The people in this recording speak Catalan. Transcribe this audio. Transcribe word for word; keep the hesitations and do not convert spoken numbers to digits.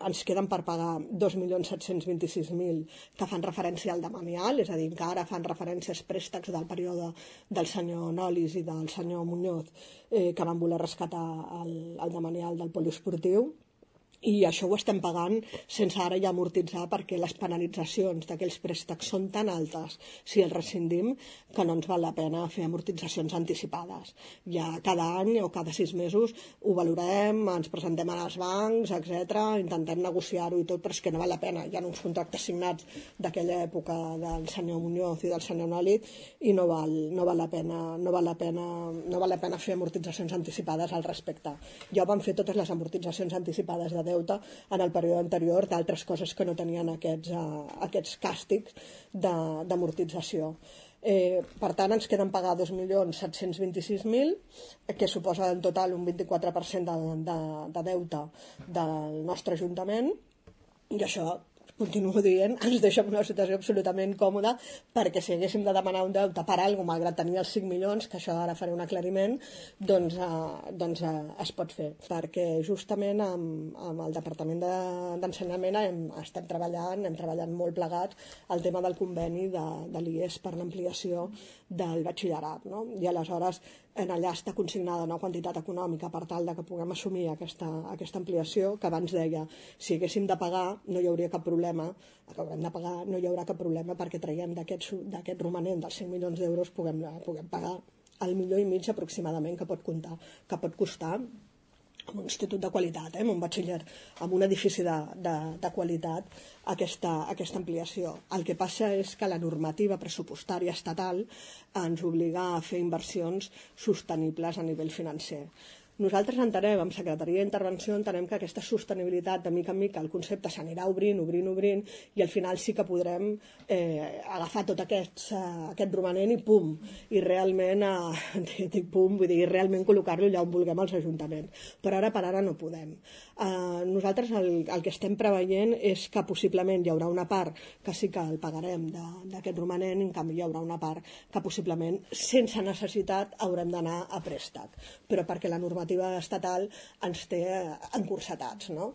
ens queden per pagar dos milions set-cents vint-i-sis mil que fan referència al demanial, és a dir, que ara fan referència als préstecs del període del senyor Nolis i del senyor Muñoz, eh, que van voler rescatar el, el demanial del poliesportiu. I això ho estem pagant sense ara ja amortitzar, perquè les penalitzacions d'aquells préstecs són tan altes si els rescindim que no ens val la pena fer amortitzacions anticipades. Ja cada any o cada sis mesos ho valorem, ens presentem als bancs, etcètera, intentem negociar-ho i tot, però és que no val la pena. Hi ha uns contractes signats d'aquella època del senyor Muñoz i del senyor Noli i no val, no val la pena, no val la pena, no val la pena fer amortitzacions anticipades al respecte. Ja van fer totes les amortitzacions anticipades de deute en el període anterior d'altres coses que no tenien aquests, uh, aquests càstigs d'amortització. Eh, per tant, ens queden pagar dos milions set-cents vint-i-sis mil, que suposa en total un vint-i-quatre per cent de, de, de deute del nostre Ajuntament, i això, continuo dient, ens deixa en una situació absolutament còmoda, perquè si haguéssim de demanar un deute per alguna cosa, malgrat tenir els cinc milions, que això ara faré un aclariment, doncs, eh, doncs eh, es pot fer. Perquè justament amb, amb el Departament d'Ensenyament hem, estem treballant, hem treballat molt plegats el tema del conveni de, de l'I E S per l'ampliació del batxillerat, no? I aleshores en allà està consignada una quantitat econòmica per tal de que puguem assumir aquesta, aquesta ampliació, que abans deia, si haguéssim de pagar no hi hauria cap problema, que haurem de pagar no hi haurà cap problema, perquè traiem d'aquest romanent dels cinc milions d'euros puguem, puguem pagar el milió i mig aproximadament que pot comptar, que pot costar amb un institut de qualitat, eh, amb un batxiller, amb un edifici de, de, de qualitat, aquesta, aquesta ampliació. El que passa és que la normativa pressupostària estatal ens obliga a fer inversions sostenibles a nivell financer. Nosaltres entenem, amb Secretaria d'Intervenció, entenem que aquesta sostenibilitat, de mica en mica, el concepte s'anirà obrint, obrint, obrint, i al final sí que podrem eh, agafar tot aquest, uh, aquest romanent i pum, i realment, uh, dic pum, vull dir, realment col·locar-lo allà on vulguem als ajuntaments. Però ara per ara no podem. Uh, nosaltres el, el que estem preveient és que possiblement hi haurà una part que sí que el pagarem d'aquest romanent, en canvi hi haurà una part que possiblement, sense necessitat, haurem d'anar a préstec. Però perquè la normativa estatal ens té encursetats, no?